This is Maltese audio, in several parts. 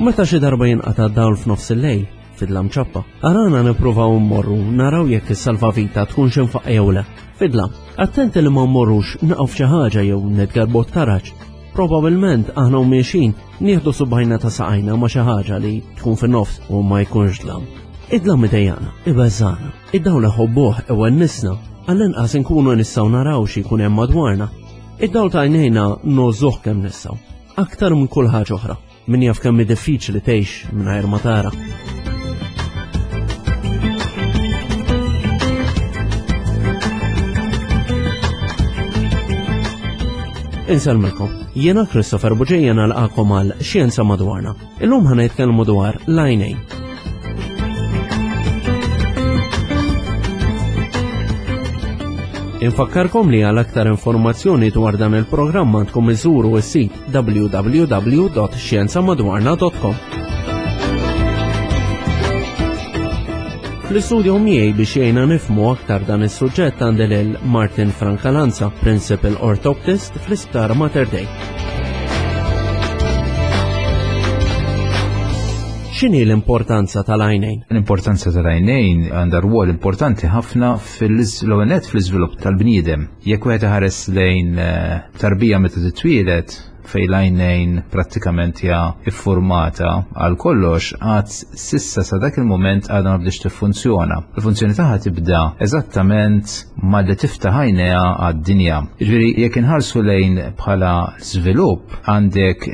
Meta xi darba jinqata' dawl f'nofs il-lejl, fidlam ċappa, arana nippruvaw mmorru naraw jekk is-salvavita tkunx infaqqa jew le. Fidlam, attenti li ma mmorrux naqgħu f'xi ħaġa jew nitgarbu t-taraġ. Probabilment aħna u miexin nieħdu subajna ta' saqajna ma' xi ħaġa li tkun fin-nofs u ma jkunx dlam. Id-dlam idejjana, ibeżżana, id-dawl iħobbuh iwennisna, għall-inqas inkunu nistgħu naraw xi jkun hemm madwarna. Id-dawl ta' għajnejna ngħożżuh kemm nistgħu, aktar minn kull ħaġa oħra. Min jaf kemm hi diffiċli tgħix mingħajr ma tara. Insellmilkom, jiena Christopher Buġejja nalqakom għal Xjenza Madwarna. Illum ħa nitkellmu dwar l-għajnejn. Infakkarkom li għal aktar informazzjoni dwar dan il-programm għandkom iżuru s-sit www.xjenzamadwarna.com. Fl-istudio miegħi biex jgħinna nifmu aktar dan is-suġġett għandi lil Martin Francalanza, Principal Orthoptist fl-Isptar Mater Dei. X'inhi l-importanza tal-għajnejn? L-importanza tal-għajnejn għandha rwol importanti ħafna fil-ewwel fl-iżvilupp tal-bniedem. Jekk wieħed iħares lejn eh, tarbija meta titwieled fejn l-għajnejn prattikament hija iffurmata għal kollox għad sissa sa dak il-mument għadha ma bdiex tiffunzjona. Il-funzjoni tagħha tibda eżattament malli tiftaħ għajnejha għad-dinja. Jiġifieri jekk inħarsu lejn bħala żvilupp għandek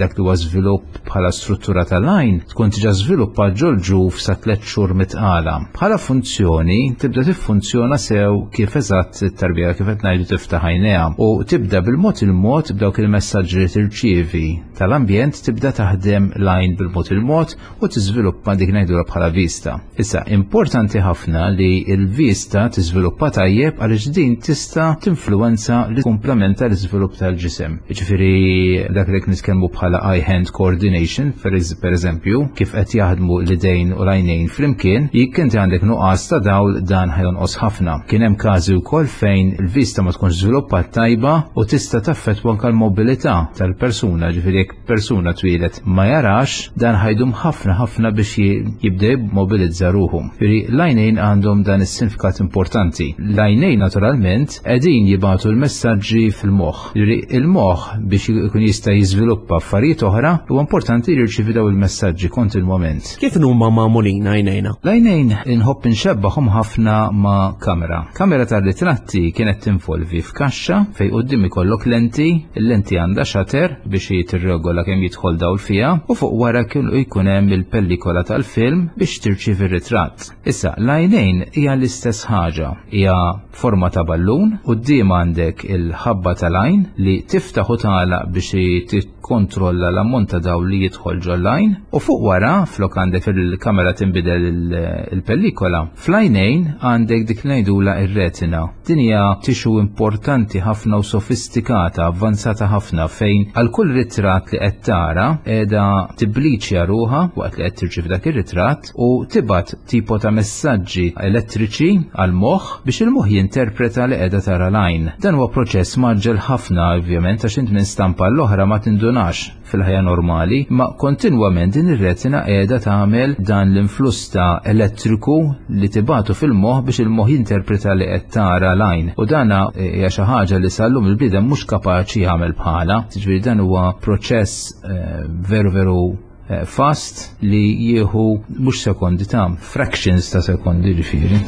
dak li huwa żvilupp bħala struttura tal-għajn tkun diġà żviluppat ġol-ġuf sa tliet xhur mitqala. Bħala funzjoni tibda tiffunzjona sew kif eżatt it-tarbija kif qed ngħidu tiftaħ għajnejha u tibda bil-mod il-mod b'dawk il-messaġġi li tirċievi tal-ambjent tibda taħdem l-għajn bil-mod il-mod u tiżviluppa dik ngħidulha bħala vista. Issa, importanti ħafna li l-vista tiżviluppa tajjeb għaliex din tista' tinfluwenza li komplementa l-iżvilupp tal-ġisem. Jiġifieri dak li nitkellmu bħala eye-hand coordination, per eżempju, kif qed jaħdmu l-idejn u l-għajnejn flimkien, jekk inti għandek nuqqas ta' dawl dan ħajonqos ħafna. Kien hemm każi wkoll fejn il-vista ma tkunx żviluppat tajba u tista' taffettwa anke l-mobilità tal-persuna, ġifieri jekk persuna twieled ma jarax, dan ħajdum ħafna ħafna biex jibda jimmobilizza ruħu. Ġifieri l-għajnejn għandhom dan is-sinifikat importanti. L-għajnejn naturalment qegħdin jibgħatu l-messaġġi fil-moħħ. Ġifieri il-moħħ biex ikun jista' jiżviluppa affarijiet oħra huwa importanti li jirċievi daw il-messaġġi kontinwament. Kif huma magħmulin għajnejna? L-għajnejn inħobb inxebbaħhom ħafna ma' kamera. Kamera tar-ritratti kienet tinvolvi f'kaxxa fejn quddiem ikollok lenti, il-lenti għandha shutter biex tirregola kemm jidħol dawl fiha u fuq wara kienu jkun hemm il-pellikola tal-film biex tirċievi r-ritratt. Issa, l-għajnejn hija l-istess ħaġa, hija forma ta' ballun, quddiem għandek il-ħabba tal-għajn li tiftaħ u tagħlaq biex tikkontrolla l-ammont ta' dawl li jidħol ġol-għajn u fuq wara flok għandek fil-kamera tinbidel il-pellikola, fl-għajnejn għandek dik li ngħidulha ir-retina. Din hija tixu importanti ħafna u sofistikata, avvanzata ħafna fejn għal kull ritratt li qed tara qiegħda tibbliċja ruħha waqt li qed tirċievi dak ir-ritratt u tibgħat tipo ta' messaġġi elettriċi għal moħħ biex il-moħħ jinterpreta li qiegħda tara l-għajn. Dan huwa proċess mgħaġġel ħafna ovvjament għax int minn stampa l-oħra ma tindunax fil-ħajja normali, ma kontinwament din ir-retina qiegħda tagħmel dan l-influss ta' elettriku li tibatu fil-moħħ biex il-moħħ jinterpreta li qed tara l-għajn. U dana hija xi ħaġa li sal-lum il-bniedem mhux kapaċi jagħmel bħala. Jiġifieri dan huwa proċess eh, veru veru eh, fast li jieħu mhux sekondi ta' fractions ta' sekondi ġifieri.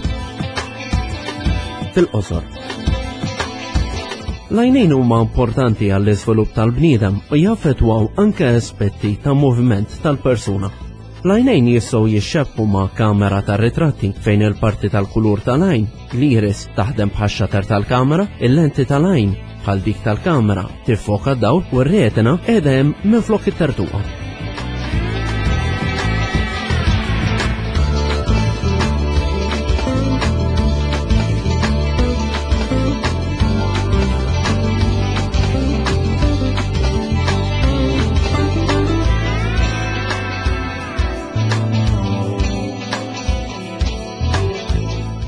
Fil-qosor. L-għajnejn huma importanti għall-iżvilupp tal-bniedem u jaffettwaw anke aspetti ta' moviment tal-persuna. L-għajnejn jistgħu jixxebbu ma' kamera tar-ritratti fejn il-parti tal-kulur tal-għajn, l-iris, taħdem bħax-xater tal-kamera, il-lenti tal-għajn bħal dik tal-kamera tiffoka d-dawl u r-retina qiegħda hemm minflok it-tertuqa.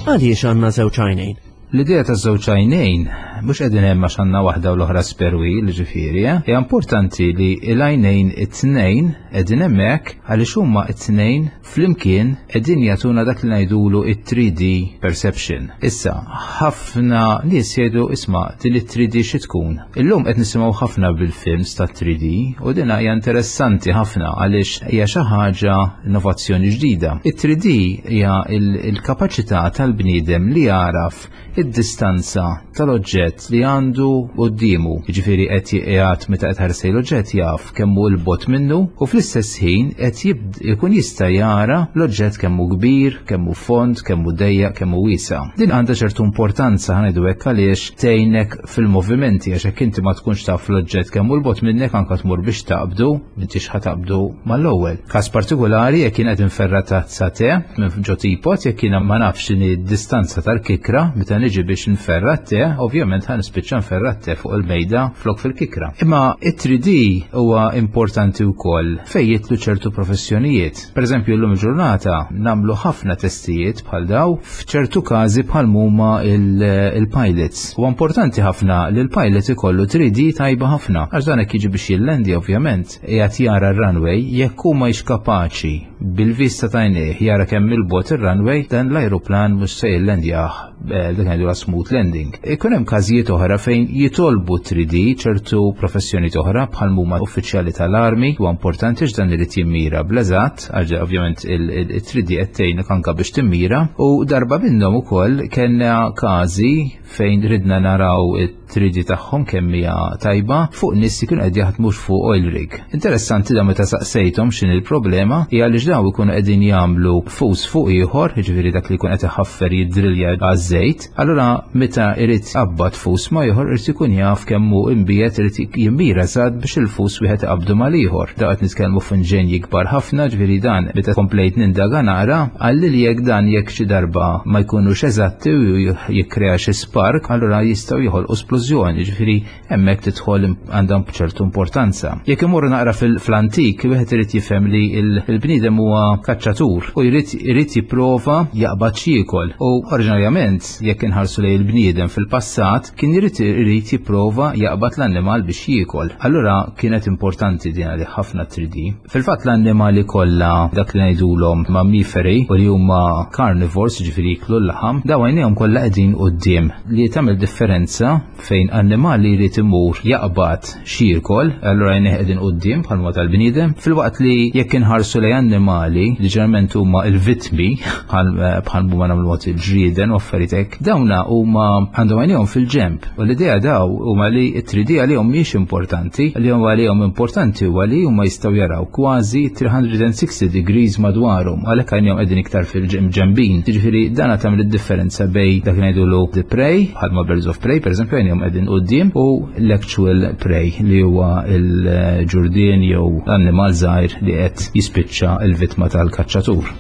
Għaliex għandna żewġ għajnejn? L-idea ta' żewġ għajnejn Mhux qegħdin hemm għax għandna waħda u l-oħra spare wheel, ġifieri, eh? Hija importanti li l-għajnejn it-tnejn qegħdin hemmhekk għaliex huma it-tnejn flimkien qegħdin jagħtuna dak li ngħidulu it-3D perception. Issa, ħafna nies jgħidu isma' din it-3D xi tkun? Illum qed nisimgħu ħafna bil-films ta' 3D u din hija interessanti ħafna għaliex hija xi ħaġa innovazzjoni ġdida. It-3D hija l-kapaċità tal-bniedem li jagħraf id-distanza tal-oġġett li għandu quddiemu. Jiġifieri qed qiegħed meta qed ħares l-oġġett jaf kemm hu l-bot minnu u fl-istess ħin qed ikun jista' jara l-oġġett kemm hu kbir, kemm hu fond, kemm hu dejjaq, kemm hu wiesa'. Din għandha ċertu importanza ħa ngħidu hekk għaliex tgħinek fil-movimenti għax hekk inti ma tkunx taf l-oġġett kemm hu l-bot minnek anka tmur biex taqbdu, m'intix ħa taqbdu mal-ewwel. Każ partikolari jekk jien qed inferra tazza te minn ġo teapot jekk jiena ma nafx x'inhi d-distanza tal-kikra meta niġi biex nferra te, ovvjament ħa nispiċċa nferra te fuq il-mejda flok fil-kikra. Imma it-3D huwa importanti wkoll fejn jidħlu ċertu professjonijiet. Per eżempju llum il-ġurnata nagħmlu ħafna testijiet bħal daw f'ċertu każi bħal huma il-pilots. Huwa importanti ħafna li l-pilot ikollu 3D tajba ħafna għax dan hekk jiġi biex jillendi ovvjament qiegħed jara r-runway jekk hu ma kapaċi bil-vista ta' għajnejh jara kemm il-bot ir-runway dan l-ajruplan mhux se jillendjah eh, dak ngħidu smooth landing. Ikun hemm każijiet oħra fejn jitolbu 3D ċertu professjoni oħra bħal huma uffiċjali tal-armi huwa importanti x'dan irid jimmira bl-eżatt għax ovvjament il-3D qed tgħinek anke biex timmira u darba minnhom ukoll kellna każi fejn ridna naraw it-3D tagħhom kemm hija tajba fuq nies li kienu qed jaħdmu fuq oil rig. Interessanti da meta saqsejthom x'inhi l-problema hija għaliex dawn ikunu qegħdin jagħmlu fus fuq ieħor, jiġifieri dak li jkun qed iħaffer jiddrilja għaż-żejt, Allura meta irid qabad fus ma ieħor irid ikun jaf kemm hu imbiegħed irid jimmira eżatt biex il-fus wieħed iqabdu mal-ieħor. Da qed nitkellmu f'inġenji kbar ħafna, ġifieri dan meta komplejt nindaga naqra qalli li jekk dan jekk xi darba ma jkunux eżatti u jikkrea xi spark, allura jistgħu joħolqu splużjoni, ġifieri hemmhekk tidħol għandha ċertu importanza. Jekk imorru naqra fl-antik, wieħed irid jifhem li l-bniedem huwa kaċċatur u jrid irid jipprova jaqbad x'jiekol. U oriġinarjament, jekk inħarsu lejn il-bniedem fil-passat, kien irid irid jipprova jaqbad l-annimal biex jiekol. Allura kienet importanti din għalih ħafna 3D. Fil-fatt l-annimali kollha dak li ngħidulhom mammiferi u li huma carnivores, jiġifieri jiklu l-laħam, daw għajnejhom kollha qegħdin quddiem li tagħmel differenza fejn annimal li jrid imur jaqbad x'jiekol, allura għajnejh qegħdin quddiem bħalma tal-bniedem, filwaqt li jekk inħarsu lejn annimali li ġeneralment huma l-vittmi bħal bħal huma nagħmlu mod il-ġrieden u affarijiet hekk, dawna huma għandhom għajnejhom fil-ġenb. U l-idea daw huma li t-3D għalihom mhijiex importanti, li huma għalihom importanti huwa li huma jistgħu jaraw kważi 360 degrees madwarhom, għalhekk għajnejhom qegħdin iktar fil-ġenbin. Jiġifieri dan tagħmel id-differenza bej dak li ngħidulu the prey, bħalma birds of prey, pereżempju għajnejhom qegħdin quddiem, u l-actual prey li huwa l-ġurdien jew l-annimal żgħir li qed jispiċċa l-vittma tal-kaċċatur.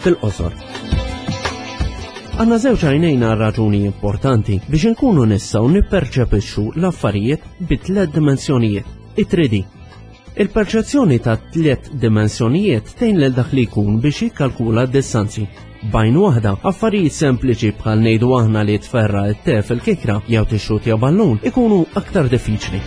Fil-qosor. Għanna żewġ għajnejn għal raġuni importanti biex inkunu nistgħu nipperċepixxu l-affarijiet bi tliet dimensjonijiet, it-3D. Il-perċezzjoni ta' tliet dimensjonijiet tgħin lil dak li jkun biex jikkalkula d-distanzi. B'għajn waħda, affarijiet sempliċi bħal ngħidu aħna li tferra t-te fil-kikra jew tixxutja ballun ikunu aktar diffiċli.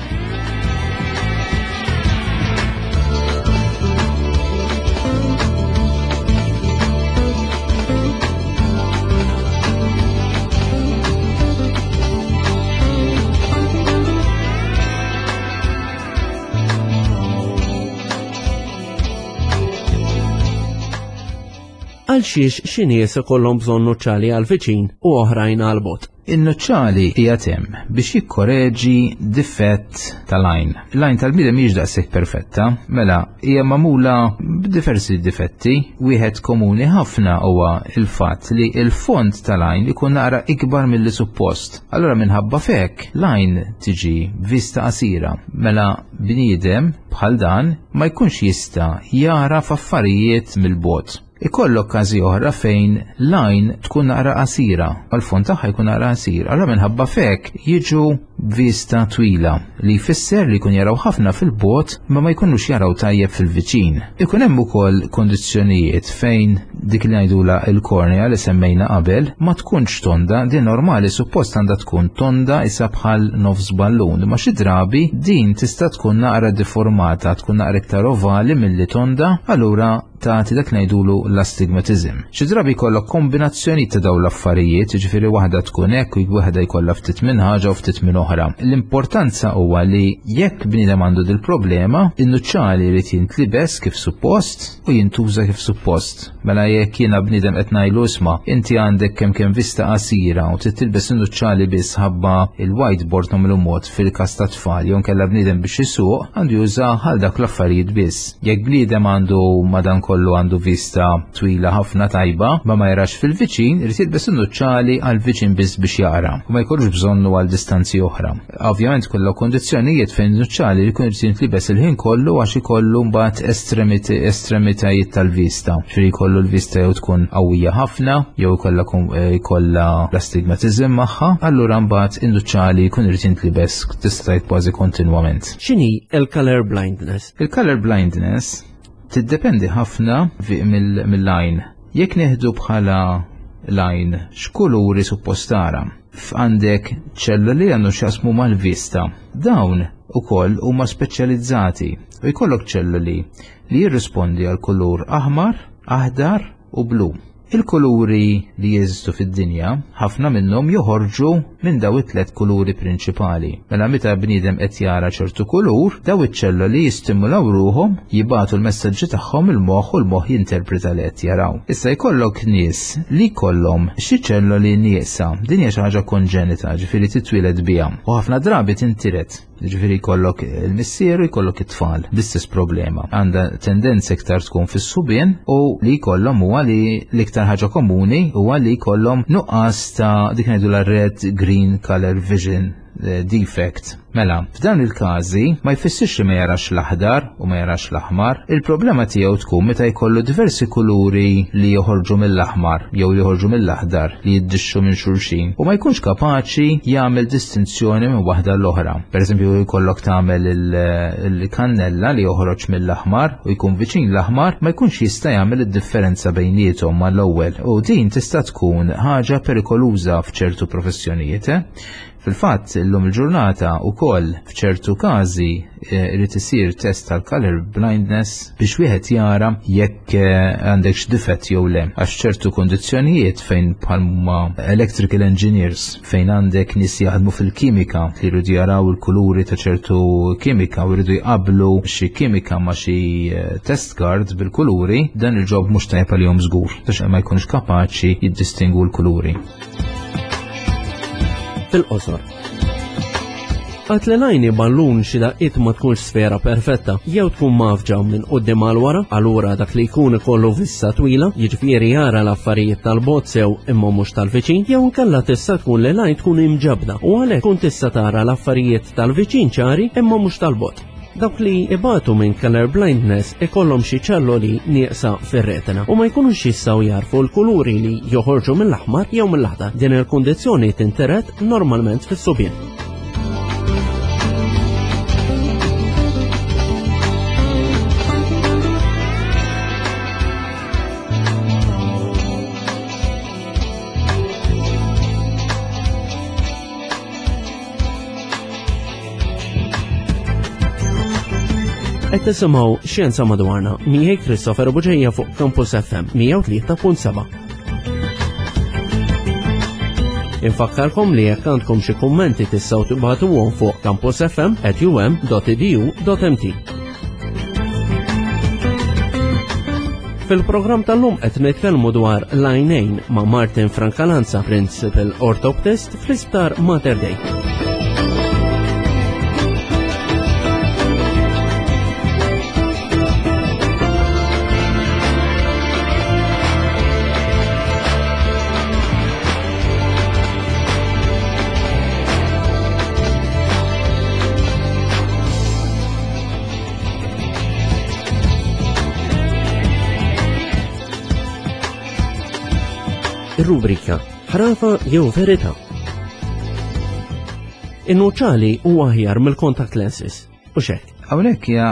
Għal xiex xi nies ikollhom bżonn nuċċali għal viċin u oħrajn għal bot. In-nuċċali qiegħed hemm biex jikkoreġi difett tal-għajn. L-għajn tal-bniedem mhijiex daqshekk perfetta, mela hija magħmula b'diversi difetti. Wieħed komuni ħafna huwa l-fatt li l-fond tal-għajn ikun naqra ikbar milli suppost. Allura minħabba f'hekk l-għajn tiġi b'vista qasira. Mela bniedem bħal dan ma jkunx jista' jagħraf affarijiet mill-bogħod. Ikollok każi oħra fejn l-għajn tkun naqra qasira, għall-fond tagħha jkun naqra qasir. Allura minħabba f'hekk jiġu b'vista twila li jfisser li jkun jaraw ħafna fil-bogħod ma ma jkunux jaraw tajjeb fil-viċin. Ikun hemm ukoll kondizzjonijiet fejn dik li ngħidula il-kornea li semmejna qabel ma tkunx tonda, din normali suppost għandha tkun tonda isa bħal nofs ballun, ma xi drabi din tista' tkun naqra deformata, tkun naqra iktar ovali milli tonda, allura tagħti dak ngħidulu l-astigmatizm. Xi drabi jkollok kombinazzjoni ta' dawn l-affarijiet, jiġifieri waħda tkun hekk u waħda jkollha ftit minn ħaġa u ftit minn oħra. L-importanza huwa li jekk bniedem għandu dil-problema, in-nuċċali jrid jintlibes kif suppost u jintuża kif suppost. Mela jekk jiena bniedem qed ngħidlu isma' inti għandek kemm kemm vista qasira u trid tilbes in-nuċċali biss ħabba il-whiteboard nagħmlu mod fil-każ ta' tfal jew nkella bniedem biex isuq għandu juża għal dak l-affarijiet biss. Jekk bniedem għandu madankollu għandu vista twila ħafna tajba, ma ma jarax fil-viċin, irid jilbes in-nuċċali għal viċin biss biex jara u ma jkollux bżonnu għal distanzi oħra. Ovvjament kollha kondizzjonijiet fejn nuċċali li jkun irid jintlibes il-ħin kollu għax ikollu mbagħad estremitajiet tal-vista. Ġifieri jkollu l-vista jew tkun qawwija ħafna jew ikollha eh, jkollha l-astigmatizm magħha, allura mbagħad in-nuċċali jkun irid jintlibes tista' kważi kontinwament. X'inhi l-color blindness? Il-color blindness tiddependi ħafna mill-lajn. Jekk neħdu bħala lajn x'kuluri suppost tara. F'għandek ċelluli għandu x'jaqsmu mal-vista. Dawn ukoll huma speċjalizzati u jkollok ċelluli li jirrispondi għal kulur aħmar, aħdar u blu. Il-kuluri li jeżistu fid-dinja, ħafna minnhom joħorġu minn daw it-tlet kuluri prinċipali. Mela meta bniedem qed jara ċertu kulur, daw iċ-ċelloli jistimulaw ruħhom, jibagħtu l-messaġġi tagħhom il-moħħ u l-moħħ jinterpreta li qed jaraw. Issa jkollok nies li jkollhom xi ċelloli nieqsa, din hija xi ħaġa konġenita, ġifieri titwieled biha, u ħafna drabi tintiret. Ġifieri jkollok il-missier u jkollok it-tfal bl-istess problema. Għandha tendenza iktar tkun fis-subien u li jkollhom huwa li l-iktar ħaġa komuni huwa li jkollhom nuqqas ta' dik ngħidu la red green color vision eh, defect. Mela, f'dan il-każi ma jfissirx li ma jarax l-aħdar u ma jarax l-aħmar. Il-problema tiegħu tkun meta jkollu diversi kuluri li joħorġu mill-aħmar jew li joħorġu mill-aħdar li jiddixxu minn xulxin u ma jkunx kapaċi jagħmel distinzjoni minn waħda l-oħra. Per eżempju, jkollok tagħmel il-kannella li joħroġ mill-aħmar u jkun viċin l-aħmar ma jkunx jista' jagħmel id-differenza bejniethom mal-ewwel. U din tista' tkun ħaġa perikoluża f'ċertu professjonijiet. Eh? Fil-fatt, illum il-ġurnata wkoll f'ċertu każi eh, irid isir test tal-color blindness biex wieħed jara jekk eh, għandekx difett jew le. Għax ċertu kondizzjonijiet fejn bħalma electrical engineers fejn għandek nies jaħdmu fil-kimika li jridu jaraw il-kuluri ta' ċertu kimika u jridu jqablu xi kimika ma' xi eh, test card bil-kuluri, dan il-ġob mhux tajjeb għalihom żgur għax ma jkunx kapaċi jiddistingwu l-kuluri. Fil-qosor. Għat li lajni ballun xi daqqiet ma tkunx sfera perfetta, jew tkun mafġa minn quddiem għal wara, allura dak li jkun ikollu vista twila, jiġifieri jara l-affarijiet tal-bot sew imma mhux tal-viċin, jew inkella tista' tkun li lajn tkun imġabda u għalhekk tkun tista' tara l-affarijiet tal-viċin ċari imma mhux tal-bot. Dawk li ibatu minn color blindness ikollhom xi ċelloli nieqsa fir-retina u ma jkunux jistgħu jarfu l-kuluri li joħorġu mill-aħmar jew mill-aħdar. Din il-kundizzjoni tinteret normalment fis-subien. Qed tisimgħu Xjenza Madwarna miegħi Christopher Buġeja fuq Campus FM 103.7. Infakkarkom li jekk għandkom xi kummenti tistgħu tibagħtuhom fuq campusfm@um.edu.mt. Fil-programm tal-lum qed nitkellmu dwar l-għajnejn ma' Martin Francalanza, Principal Orthoptist fl-Isptar Mater Dei. Ir-rubrika Ħrafa jew Verità. In-nuċċali huwa aħjar mill-contact lenses. U xek. Hawnhekk hija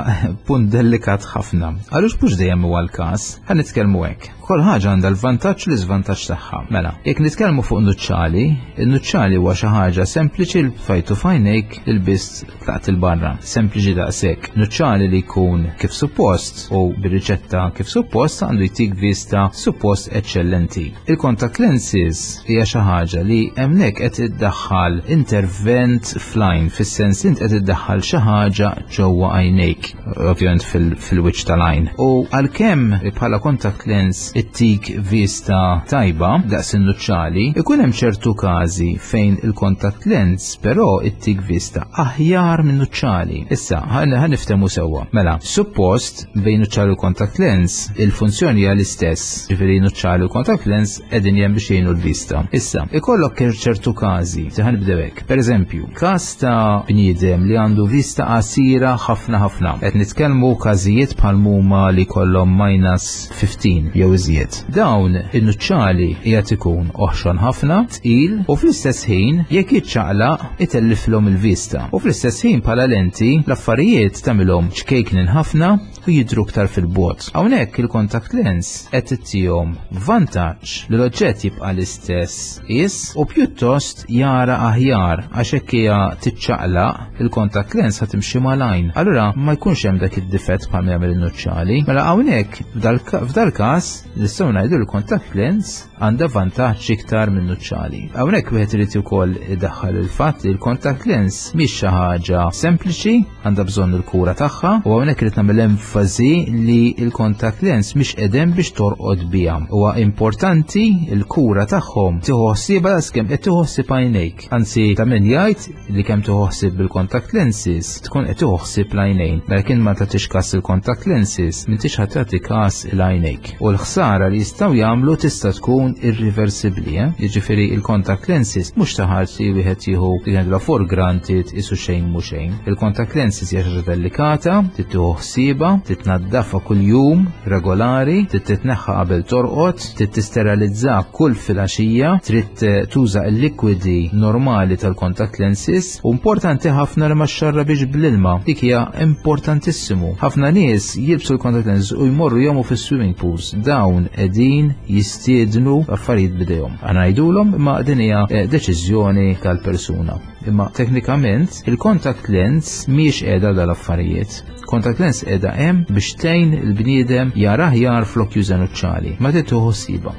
punt delikat ħafna. Għaliex mhux dejjem huwa l-każ, ħa nitkellmu hekk. Kull ħaġa għandha l-vantaġġ u l-iżvantaġġ tagħha. Mela, jekk nitkellmu fuq nuċċali, in-nuċċali huwa xi ħaġa sempliċi l fajtu f'għajnejk il-biss tlaqt il-barra. Sempliċi daqshekk. Nuċċali li jkun kif suppost u bir-riċetta kif suppost għandu jtik vista suppost eċċellenti. Il-contact lenses hija xi ħaġa li hemmhekk qed iddaħħal intervent fl-għajn, fis-sens int qed iddaħħal xi ħaġa ġewwa għajnejk, ovvjament fil-wiċċ tal-għajn. U għalkemm bħala contact lens ittik vista tajba daqs in-nuċċali, ikun hemm ċertu każi fejn il-contact lens però ittik vista aħjar minn nuċċali. Issa, ħa niftehmu sewwa. Mela, suppost bejn nuċċali u contact lens il-funzjoni hija l-istess, ġifieri nuċċali u contact lens qegħdin hemm biex jgħinu l-vista. Issa, ikollok ċertu każi, ħa nibdew hekk. Pereżempju, każ ta' bniedem li għandu vista qasira ħafna ħafna. Qed nitkellmu każijiet bħal huma li kollhom minus 15 jew iżjed. Dawn in-nuċċali qiegħed ikun oħxon ħafna, tqil u fl-istess ħin jekk jiċċaqlaq itelliflhom il-vista. U fl-istess ħin bħala lenti l-affarijiet tagħmilhom ċkejknin ħafna u jidhru iktar fil-bogħod. Hawnhekk il-contact lens qed ittihom vantaġġ li l-oġġett jibqa' l-istess qies u pjuttost jara aħjar għax hekk hija tiċċaqlaq il-contact lens ħa timxi mal-għajn. Allura ma jkunx hemm dak id-difett bħal jagħmel in-nuċċali. Mela hawnhekk f'dal-każ nistgħu ngħidu l-contact lens għandha vantaġġ iktar minn nuċċali. Hawnhekk wieħed irid ukoll idaħħal il-fatt li l-contact lens mhix xi ħaġa sempliċi, għandha bżonn il-kura tagħha u hawnhekk irid nagħmel enfasi li l-contact lens mhix qegħdem biex torqod biha. Huwa importanti l-kura tagħhom tieħu ħsiebha daqskemm qed tieħu ħsieb għajnejk. Anzi ta' min jgħid li kemm tieħu ħsieb bil-contact lenses tkun qed tieħu ħsieb l-għajnejn. Mela kien ma tagħtix każ il-contact lenses m'intix ħadd tagħti każ il-għajnejk. U l-ħsara li jistgħu jagħmlu tista' tkun irriversibbli, eh? Jiġifieri il-contact lenses mhux ta' ħaġa li wieħed jieħu li ngħidulha for granted isu xejn mhu xejn. Il-contact lenses hija xi ħaġa delikata, trid tieħu ħsiebha, titnaddafha kuljum regolari, trid titneħħa qabel torqod, trid tisteralizza kull filgħaxija, trid eh, tuża l-likwidi normali tal-contact lenses u importanti ħafna li ma xxarrabix bl-ilma. Dik hija importantissimu. Ħafna nies jilbsu l-contact lenses u jmorru jomu fis-swimming pools. Dawn qegħdin jistiednu affarijiet bidejhom. Għana ngħidulhom imma din hija eh, deċiżjoni tal-persuna. Imma teknikament il-contact lens mhijiex qiegħda dal-affarijiet. Contact lens qiegħda hemm biex tgħin il-bniedem jara aħjar flok juża nuċċali, ma trid tieħu ħsiebha.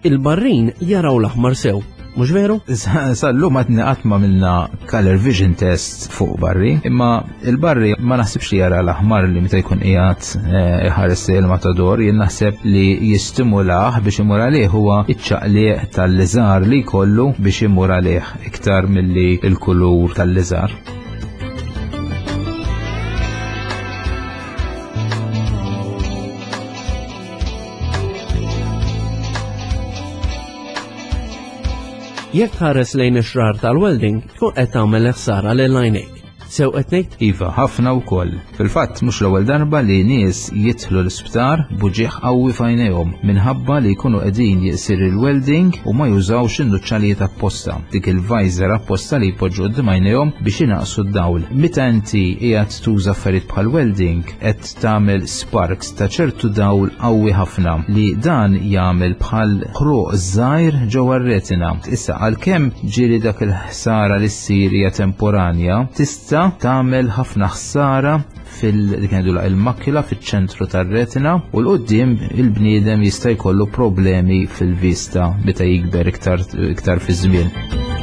Il-barrin jaraw l-aħmar sew, mhux veru? Sal-lum għadni qatt ma minna color vision test fuq barri, imma il-barri ma naħsibx li jara l-aħmar li meta jkun qiegħed eh, iħares il-matador, jien naħseb li jistimulah biex imur għalih huwa iċ-ċaqliq tal-liżar li jkollu biex imur għalih iktar milli il-kulur tal-liżar. Jekk tħares lejn ix-xrar tal-welding, tkun qed tagħmel ħsara lil għajnejk. Sew qed ngħid? Iva, ħafna wkoll. Fil-fatt mhux l-ewwel darba li nies jidħlu l-isptar b'uġigħ qawwi f'għajnejhom minħabba li jkunu qegħdin jsir il-welding u ma jużawx in-nuċċalijiet apposta, dik il-visor apposta li jpoġġu quddiem għajnejhom biex inaqqsu d-dawl. Meta inti qiegħed tuża affarijiet bħal welding qed tagħmel sparks ta' ċertu dawl qawwi ħafna li dan jagħmel bħal ħruq żgħir ġewwa r-retina. Issa għalkemm ġieli dak il-ħsara li ssir hija temporanja, tista' tagħmel ħafna ħsara fil il-makula fiċ-ċentru tar-retina u l-qudiem il-bniedem jista' jkollu problemi fil-vista meta jikber iktar iktar fi żmien.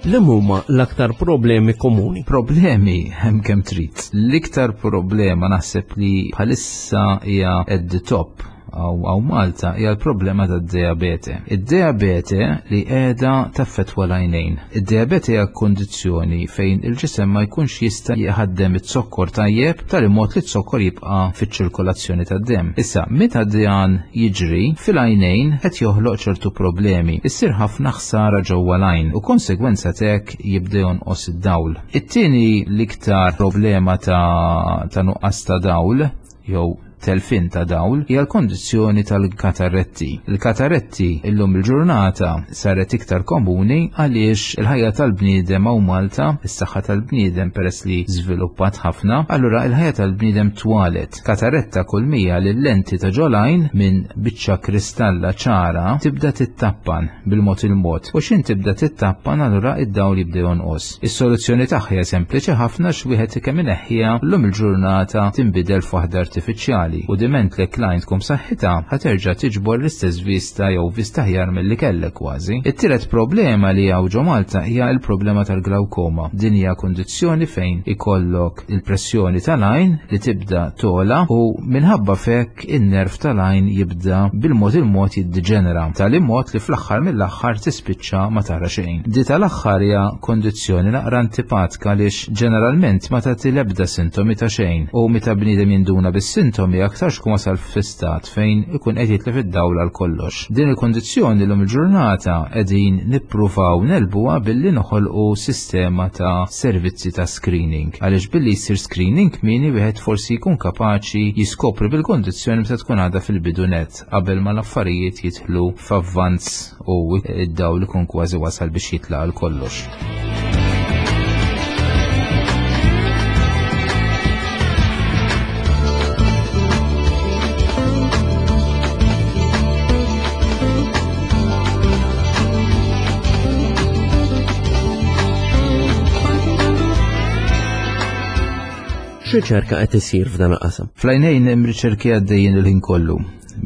Li huma l-aktar problemi komuni? Problemi hemm kemm trid. L-iktar problema naħseb li bħalissa hija at the top. Hawn Malta hija l-problema tad-diabete. Id-diabete li qiegħda taffettwa l-għajnejn. Id-diabete hija kundizzjoni fejn il-ġisem ma jkunx jista' jħaddem iz-zokkor tajjeb b'tali mod li z-zokkor jibqa' fiċ-ċirkolazzjoni tad-demm. Issa, meta dan jiġri, fil-għajnejn qed joħloq ċertu problemi. Issir ħafna ħsara ġewwa l-għajn u konsegwenza t'hekk jibda jonqos id-dawl. It-tieni l-iktar problema ta' ta' nuqqas ta' dawl jew telfien ta' dawl hija l-kondizzjoni tal-katarretti. Il-katarretti illum il-ġurnata saret iktar komuni għaliex il-ħajja tal-bniedem hawn Malta, is-saħħa tal-bniedem peress li żviluppat ħafna, allura il-ħajja tal-bniedem twalet. Katarretta kull mija li l-lenti ta' ġolajn minn biċċa kristalla ċara tibda tittappan bil-mod il-mod u x'in tibda tittappan allura id-dawl jibda jonqos. Is-soluzzjoni tagħha hija sempliċi ħafna x'wieħed kemm ineħħiha llum il-ġurnata tinbidel f'waħda artifiċjali u diment li l-għajn tkun b'saħħitha ħa terġa' tiġbor l-istess vista jew vista aħjar milli kellek kważi. It-tielet problema li hawn ġo Malta hija l-problema tal-glawkoma. Din hija kundizzjoni fejn ikollok il-pressjoni tal-għajn li tibda togħla u minħabba f'hekk in-nerv tal-għajn jibda bil-mod il-mod jiddiġenera, tali mod li fl-aħħar mill-aħħar tispiċċa ma tara xejn. Di tal-aħħar hija kondizzjoni naqra antipatka għaliex ġeneralment ma tagħti l-ebda sintomi ta' xejn u meta bniedem jinduna bis-sintomi aktarx ikun wasal fi stat fejn ikun qed jitlef id-dawl għal kollox. Din il-kondizzjoni llum il-ġurnata qegħdin nippruvaw negħlbuha billi noħolqu sistema ta' servizzi ta' screening. Għaliex billi jsir screening kmieni wieħed forsi jkun kapaċi jiskopri bil-kondizzjoni meta tkun għadha fil-bidu nett qabel ma l-affarijiet jidħlu f'avvanz u id-dawl ikun kważi wasal biex jitlaq għal kollox. X'riċerka qed isir f'dan il-qasam? Fl-għajnejn hemm riċerki għaddejjin il-ħin kollu.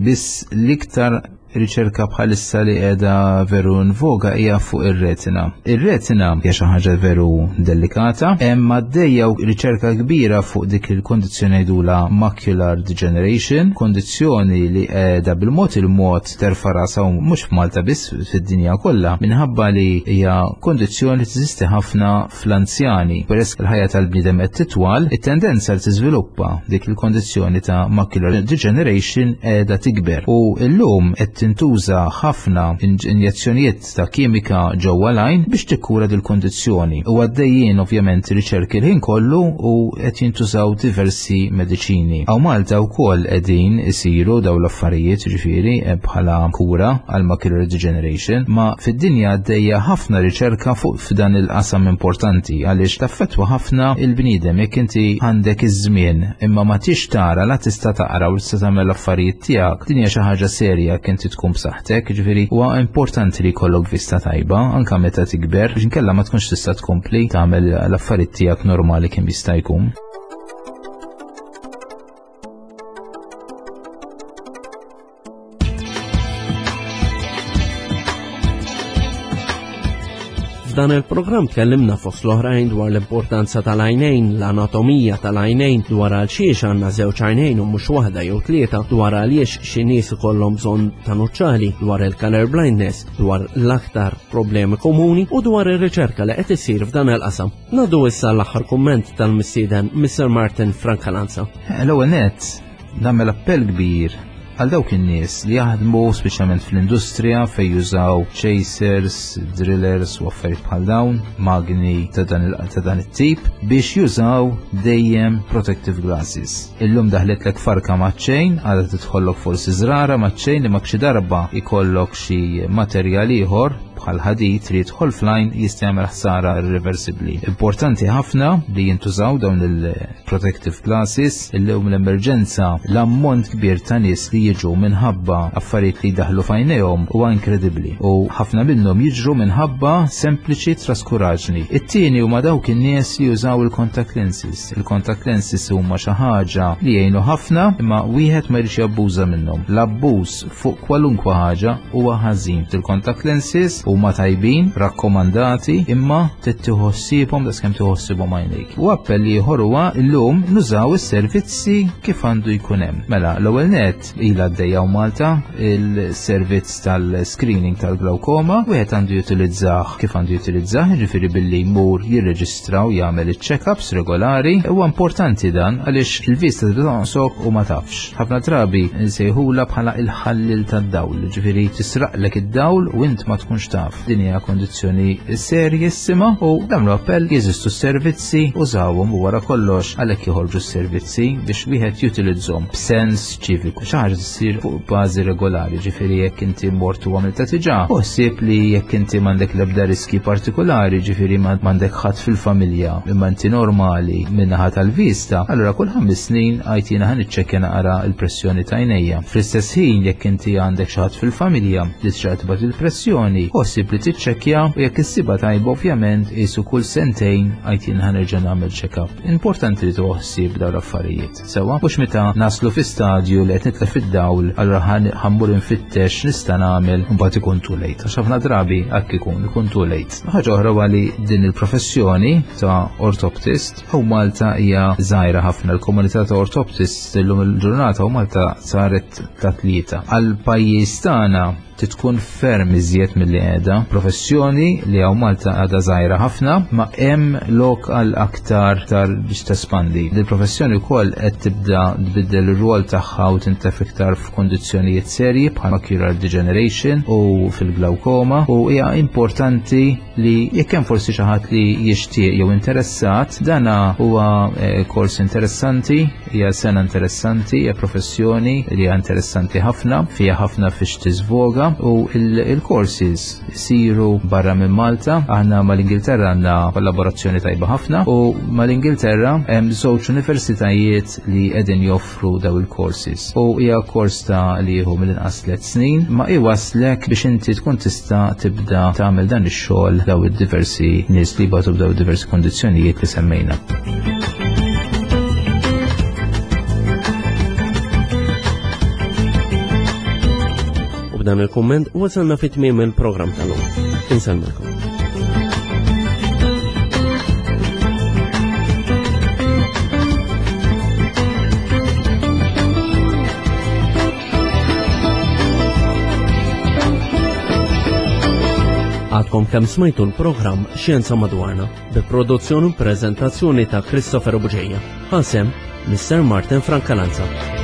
Biss l-iktar riċerka bħalissa li qiegħda veru nvoga hija fuq ir-retina. Ir-retina hija xi ħaġa veru delikata, hemm għaddejja riċerka kbira fuq dik il-kondizzjoni jgħidula macular degeneration, kondizzjoni li qiegħda bil-mod il-mod terfa' rasha u mhux f'Malta biss fid-dinja kollha minħabba li hija kondizzjoni li teżisti ħafna fl-anzjani. Peress il-ħajja tal-bniedem qed titwal, it-tendenza li tiżviluppa dik il-kondizzjoni ta' macular degeneration qiegħda tikber. U llum qed tintuża ħafna injezzjonijiet ta' kimika ġewwa l-għajn biex tikkura dil-kondizzjoni. U għaddejjin ovvjament riċerki l-ħin kollu u qed jintużaw diversi mediċini. Hawn Malta wkoll qegħdin isiru dawn l-affarijiet ġifieri eh, bħala kura għal macular degeneration, ma fid-dinja għaddejja ħafna riċerka fuq f'dan il-qasam importanti għaliex taffettwa ħafna il-bniedem jekk inti għandek iż-żmien imma ma tix tara la tista' taqra u tista' tagħmel l-affarijiet tiegħek. Din hija xi ħaġa serja jekk inti tkun b'saħħtek, ġifieri huwa importanti li jkollok vista tajba anke meta tikber biex inkella ma tkunx tista' tkompli tagħmel l-affarijiet tiegħek normali kemm jista' jkun. F'dan il-programm tkellimna fost l-oħrajn dwar l-importanza tal-għajnejn, l-anatomija tal-għajnejn, dwar għal xiex għandna żewġ għajnejn u mhux waħda jew tlieta, dwar għaliex xi nies ikollhom bżonn ta' nuċċali, dwar il-color blindness, dwar l-aktar problemi komuni u dwar ir-riċerka li qed issir f'dan il-qasam. Nadu issa l-aħħar kumment tal-mistieden Mr. Martin Francalanza. L-ewwel nett, nagħmel appell kbir għal dawk in-nies li jaħdmu speċjalment fl-industrija fejn jużaw chasers, drillers u affarijiet bħal dawn, magni ta' dan, ta' dan it-tip biex jużaw dejjem protective glasses. Illum daħletlek farka maċ-ċejn, għadha tidħollok forsi żrara maċ-ċejn li ma xi darba ikollok xi materjal ieħor bħal ħadid li jidħol fl-għajn jista' jagħmel ħsara irreversibbli. Importanti ħafna li jintużaw dawn il-protective glasses illum l-emerġenza l-ammont kbir ta' nies li jiġu minħabba affarijiet li jdaħlu f'għajnejhom huwa inkredibbli u ħafna minnhom jiġru minħabba sempliċi traskuraġni. It-tieni huma dawk in-nies li jużaw il-contact lenses. Il-contact lenses huma xi ħaġa li jgħinu ħafna imma wieħed ma jridx jabbuża minnhom. L-abbuż fuq kwalunkwe ħaġa huwa ħażin. Il-contact lenses. huma tajbin, rakkomandati, imma trid tieħu ħsiebhom daqskemm tieħu ħsiebhom għajnejk. U appell ieħor huwa llum nużaw is-servizzi kif għandu jkun hemm. Mela, l-ewwel nett ilha għaddejja Malta il-servizz tal-screening tal-glaukoma, wieħed għandu jutilizzah kif għandu jutilizzah, jiġifieri billi jmur jirreġistra u jagħmel iċ-check-ups regolari. Huwa importanti dan għaliex il-vista tibda tonqsok u ma tafx. Ħafna drabi nsejħula bħala il-ħallil tad-dawl, ġifieri tisraqlek id-dawl u int ma tkunx taf. Din hija kondizzjoni serjissima u nagħmlu appell jeżistu s-servizzi, użawhom u wara kollox għalhekk joħorġu s-servizzi biex wieħed jutilizzhom b'sens ċiviku. Xi ħaġa ssir fuq bażi regolari, ġifieri jekk inti mort u għamilta diġà, u ħsieb li jekk inti m'għandek l-ebda riski partikolari, ġifieri m'għandek ħadd fil-familja imma inti normali min-naħa tal-vista, allura kull ħames snin għajt jiena ħa niċċekkja naqra l-pressjoni ta' għajnejja. Fl-istess ħin jekk inti għandek xi ħadd fil-familja li tixtaq tibgħat il-pressjoni, ħossib li tiċċekkja u jekk issibha tajba ovvjament qisu kull sentejn għajt jiena ħa nerġa' nagħmel check-up. Importanti li tieħu ħsieb dawn l-affarijiet. Sewwa, mhux meta naslu fi stadju li qed nitlef id-dawl, allura ħammur infittex nista' nagħmel u mbagħad ikun too late. Għax ħafna drabi hekk ikun, ikun too late. Ħaġa oħra huwa li din il-professjoni ta' ortoptist u Malta hija żgħira ħafna. Il-komunità ta' ortoptist illum il-ġurnata u Malta saret ta' tlieta. Għal pajjiż tagħna trid tkun ferm iżjed milli qiegħda. Professjoni li hawn Malta għadha żgħira ħafna, ma hemm lok għal aktar tar biex tespandi. Dil-professjoni wkoll qed tibda tbiddel ir-rwol tagħha u tintef iktar f'kundizzjonijiet serji bħal macular degeneration u fil-glaukoma u hija importanti li jekk hemm forsi xi ħadd li jixtieq jew interessat, dana huwa eh, kors interessanti, hija sena interessanti, hija professjoni li hija interessanti ħafna, fiha ħafna fiex tiżvoga u il-courses isiru barra minn Malta. Aħna mal-Ingilterra għandna kollaborazzjoni tajba ħafna u mal-Ingilterra hemm żewġ universitajiet li qegħdin joffru daw il-courses. U hija kors ta' li jieħu mill-inqas tliet snin, ma iwaslek biex inti tkun tista' tibda tagħmel dan ix-xogħol daw id-diversi nies li jbatu b'daw id-diversi kondizzjonijiet li semmejna. U b'dan il-kumment wasalna fit tmiem il-programm tal-lum. Insellmilkom. Għadkom kemm smajtu l-programm Xjenza Madwarna bi produzzjoni u prezentazzjoni ta' Christopher Buġeja. Ħasem Mr. Martin Francalanza.